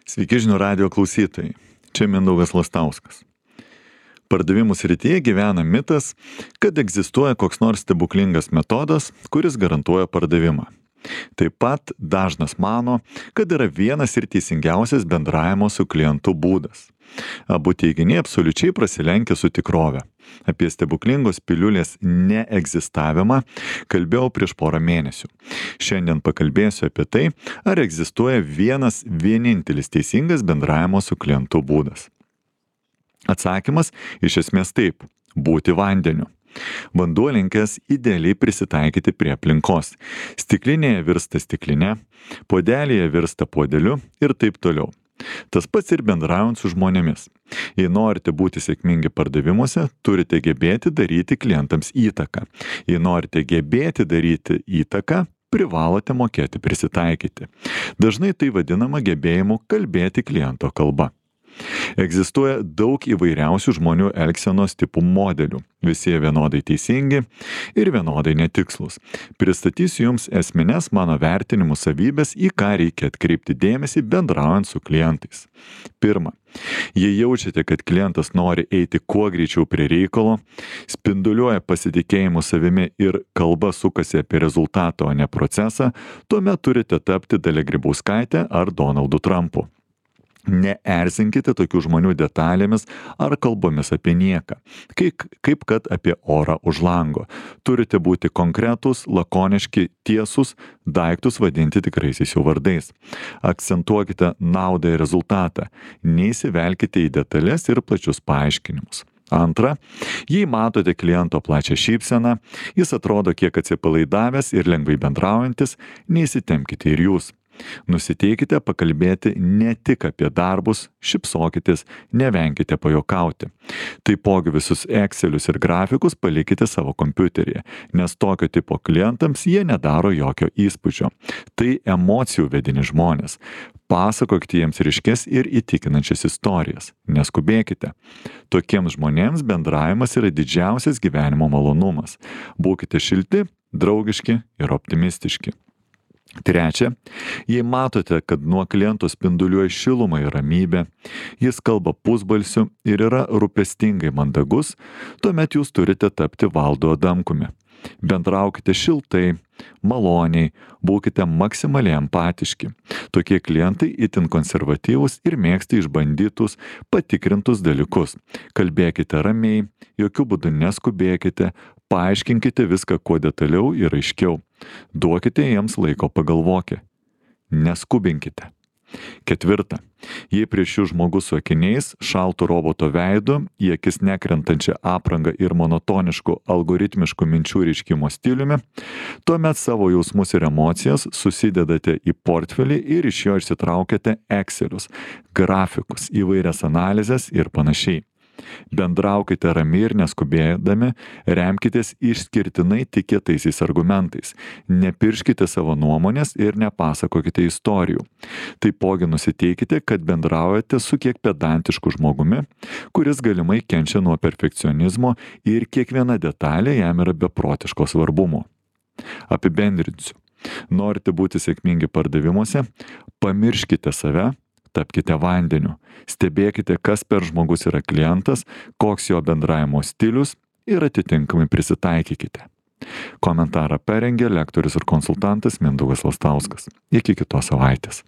Sveiki žinių radijo klausytojai. Čia Mindaugas Lastauskas. Pardavimų srityje gyvena mitas, kad egzistuoja koks nors stebuklingas metodas, kuris garantuoja pardavimą. Taip pat dažnas mano, kad yra vienas ir teisingiausias bendravimo su klientu būdas. Abu teiginiai absoliučiai prasilenkia su tikrove. Apie stebuklingos piliulės neegzistavimą kalbėjau prieš porą mėnesių. Šiandien pakalbėsiu apie tai, ar egzistuoja vienas vienintelis teisingas bendravimo su klientu būdas. Atsakymas iš esmės taip – būti vandeniu. Vanduo linkęs idealiai prisitaikyti prie aplinkos. Stiklinėje virsta stikline, puodelėje virsta puodeliu ir taip toliau. Tas pats ir bendraujant su žmonėmis. Jei norite būti sėkmingi pardavimuose, turite gebėti daryti klientams įtaką. Jei norite gebėti daryti įtaką, privalote mokėti prisitaikyti. Dažnai tai vadinama gebėjimu kalbėti kliento kalba. Egzistuoja daug įvairiausių žmonių elgsenos tipų modelių. Visi jie vienodai teisingi ir vienodai netikslus. Pristatysiu jums esmines mano vertinimų savybės, į ką reikia atkreipti dėmesį bendraujant su klientais. Pirma, jei jaučiate, kad klientas nori eiti kuo greičiau prie reikalo, spinduliuoja pasitikėjimu savimi ir kalba sukasi apie rezultatą, o ne procesą, tuomet turite tapti Dalia Grybauskaite ar Donaldu Trumpu. Neerzinkite tokių žmonių detalėmis ar kalbomis apie nieką, kaip kad apie orą už lango. Turite būti konkretūs, lakoniški, tiesūs, daiktus vadinti tikraisiais jų vardais. Akcentuokite naudą ir rezultatą, neįsivelkite į detalės ir plačius paaiškinimus. Antra, jei matote kliento plačią šypseną, jis atrodo kiek atsipalaidavęs ir lengvai bendraujantis, neįsitempkite ir jūs. Nusiteikite pakalbėti ne tik apie darbus, šypsokitės, nevenkite pajuokauti. Taipogi visus Excelius ir grafikus palikite savo kompiuteryje, nes tokio tipo klientams jie nedaro jokio įspūdžio. Tai emocijų vedini žmonės. Pasakokite jiems ryškes ir įtikinančias istorijas. Neskubėkite. Tokiems žmonėms bendravimas yra didžiausias gyvenimo malonumas. Būkite šilti, draugiški ir optimistiški. Trečia, jei matote, kad nuo kliento spinduliuoja šilumą ir ramybę, jis kalba pusbalsiu ir yra rūpestingai mandagus, tuomet jūs turite tapti Valdu Adamkumi. Bendraukite šiltai, maloniai, būkite maksimaliai empatiški. Tokie klientai itin konservatyvūs ir mėgsta išbandytus, patikrintus dalykus. Kalbėkite ramiai, jokių būdų neskubėkite, paaiškinkite viską kuo detaliau ir aiškiau. Duokite jiems laiko pagalvoti. Neskubinkite. Ketvirta. Jei prieš jūs žmogus su akiniais, šaltu roboto veidu, į akis nekrentančią aprangą ir monotonišku algoritmišku minčių reiškimo stiliumi, tuomet savo jausmus ir emocijas susidedate į portfelį ir iš jo išsitraukiate Excelius, grafikus, įvairias analizės ir panašiai. Bendraukite ramiai ir neskubėdami, remkitės išskirtinai tikėtaisiais argumentais. Nepirškite savo nuomonės ir nepasakokite istorijų. Taipogi nusiteikite, kad bendraujate su kiek pedantišku žmogumi, kuris galimai kenčia nuo perfekcionizmo ir kiekviena detalė jam yra beprotiško svarbumo. Apibendrinsiu. Norite būti sėkmingi pardavimuose? Pamirškite save. Tapkite vandeniu. Stebėkite, kas per žmogus yra klientas, koks jo bendravimo stilius ir atitinkamai prisitaikykite. Komentarą parengė lektorius ir konsultantas Mindaugas Lastauskas. Iki kitos savaitės.